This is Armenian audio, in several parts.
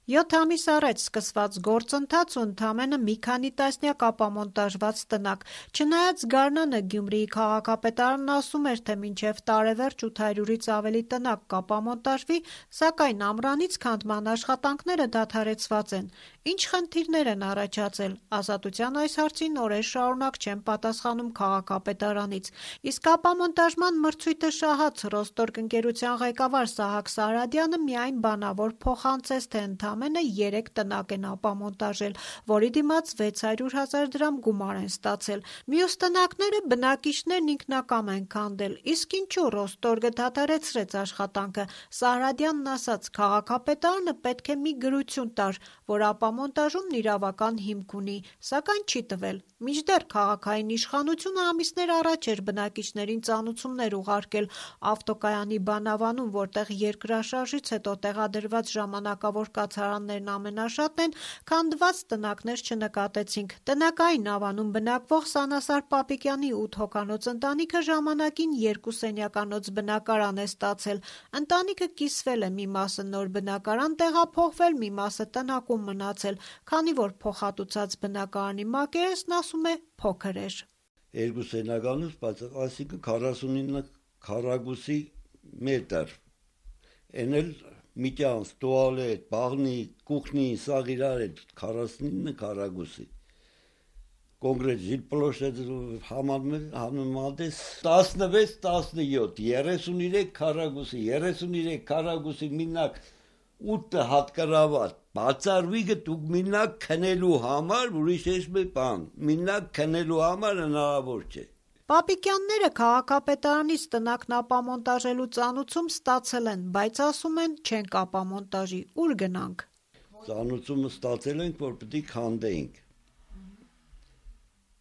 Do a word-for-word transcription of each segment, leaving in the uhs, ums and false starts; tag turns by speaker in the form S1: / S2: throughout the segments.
S1: Յոթ ամիս առաջ սկսված գործընթաց ու ընդամենը մի քանի տասնյակ ապամոնտաժված տնակ։ Չնայած Գարնանը Գյումրիի քաղաքապետարանն ասում էր, թե մինչև տարեվերջ ութ հարյուրից ավելի տնակ կապամոնտաժվի, սակայն ամռանից քանդման աշխատանքները դադարեցված են։ Ինչ խնդիրներ են առաջացել։ Ազատության այս հարցին օրեր շարունակ չեն պատասխանում քաղաքապետարանից։ Իսկ ապամոնտաժման մրցույթը շահած «Ռոստորկ» ընկերության ղեկավար Սահակ Սարադյանը միայն բանավոր փոխանցեց, թե ընդամենը երեք տնակ են ապամոնտաժել, որի դիմաց վեց հարյուր հազար դրամ գումար են ստացել։ Մյուս տնակները բնակիչներն ինքնակամ են քանդել։ Իսկ ինչու «Ռոստորգը» դադարեցրեց աշխատանքը։ Սարադյանն ասաց՝ քաղաքապետարանը պետք է մի գրություն տար, որ ապամոնտաժումն իրավական հիմք ունի, սակայն չի տվել։ Մինչդեռ քաղաքային իշխանությունը ամիսներ առաջ էր բնակիչներին ծանուցումներ ուղարկել ավտոկայանի բանավանում, որտեղ երկրաշարժից հետո տեղադրված ժամանակավոր կացարաններն ամենաշատն են, քանդված տնակներ չնկատեցինք։ Տնակային ավանում բնակվող Սանասար Պապիկյանի ութ հոգանոց ընտանիքը ժամանակին երկու սենյականոց բնակարան է ստացել։ Ընտանիքը կիսվել է, մի մասը նոր բնակարան տեղափոխվել, մի մասը տնակում մնացել, քանի որ փոխհատուցած բնակարանի մակերեսն, ասում է, փոքր էր։
S2: Երկու սենյականոց, բայց այսինքն քառասունինը քառակուսի մետր, են էլ միջանց, տուալետ, բաղնի, կուխնի, սաղ իրար է քառասունինը քառակուսի։ Կոնկրետ жилплощадь համեմատես տասնվեց տասնյոթ, երեսունյոթ քառակուսի, երեսունյոթ քառակուսի մինակ ութ հատկարավատ, բացառվի գտուկ մինակ քնելու համար, ուրիշ ես մի բան, մինակ քնելու համար հնարավոր չէ։
S1: Պապիկյանները քաղաքապետարանից տնակն ապամոնտաժելու ծանուցում ստացել են, բայց ասում են չենք ապամոնտաժի, ուր գնանք։
S2: Ծանուցումը ստացել ենք, որ պետք է քանդենք,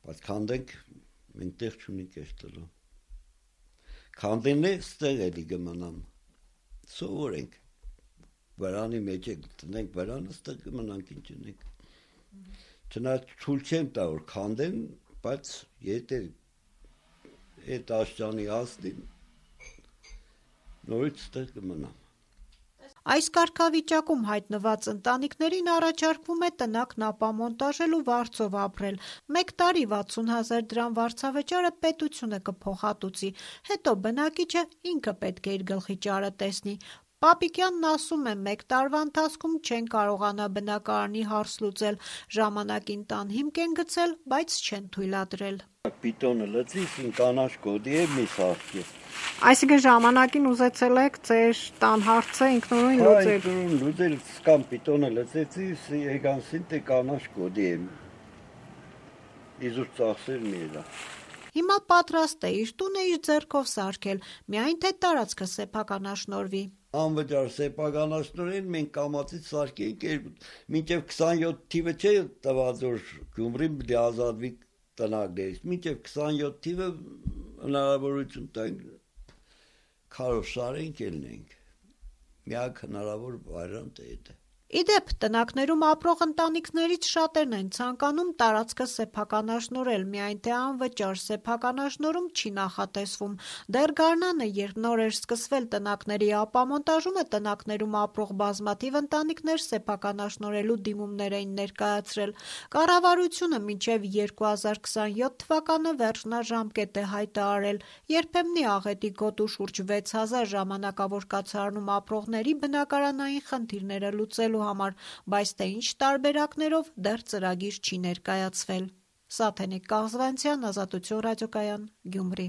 S2: բայց քանդենք մենք տեղ չունենք այստեղ։ Քանդեն է ստեղ էլի կմնամ, սովորենք, վրանի մեջ է տնենք վրանը, ստեղ կմնանք ինչ ունենք։ Չնայած ցույց չեմ տա, որ քանդեն, բայց եթե այդ աշճանի հասնին, նորից ստեղ կմնամ։
S1: Այս կարգավիճակում հայտնված ընտանիքներին առաջարկվում է տնակն ապամոնտաժել ու վարձով ապրել։ Մեկ տարի վաթսուն հազար դրամ վարձավճարը պետությունը կփոխհատուցի, հետո բնակիչը ինքը պետք է իր գլխի ճարը տեսնի։ Պապիկյանն ասում է՝ մեկ տարվա ընթացքում չեն կարողանա բնակարանի հարց լուծել, ժամանակին տան հիմք են գցել, բայց չեն թույլատրել։
S2: Պիտոնը լծի, կանաչ կոդի է մի սարքի։
S1: Այսինքն ժամանակին ուզեցել եք ձեր տան հարցը ինքնուրույն լուծել։
S2: Ինքնուրույն լուծել, կամ պիտոնը լծեցի, եկան սինտե կանաչ կոդի է։ Իզուր ծախսել մի էլա։
S1: Հիմա պատրաստ է իր տունը իր ձեռքով սարքել, միայն թե տարածքը սեփականաշնորհվի։
S2: Անվճար սեփականաշնորհին մենք կամացից սարքենք, մինչև քսանյոթ թիվը չէ տված, որ Գյումրին պետք է ազատվի տնակներից, մինչև քսանյոթ թիվը հնարավորություն տանք, քարով շարենք, ելնենք։ Միակ հնարավոր վարիանտը է դա։
S1: Իդեպ, տնակներում ապրող ընտանիքներից շատերն են ցանկանում տարածքը սեփականաշնորհել, միայն թե անվճար սեփականաշնորհում չի նախատեսվում։ Դեռ Գարնանը, երբ նոր էր սկսվել տնակների ապամոնտաժումը, տնակներում ապրող բազմաթիվ ընտանիքներ սեփականաշնորհելու դիմումներ էին ներկայացրել։ Կառավարությունը մինչև երկու հազար քսանյոթ թվականը վերջնաժամկետ է հայտարարել։ Երբեմնի աղետի գոտու շուրջ վեց հազար ժամանակավոր կացարանում ապրողների բնակարանային խնդիրները լուծելու համար, բայց թե ինչ տարբերակներով դեռ ծրագիր չի ներկայացվել։ Սաթենիկ Կաղզվանցյան, Ազատություն ռադիոկայան, Գյումրի։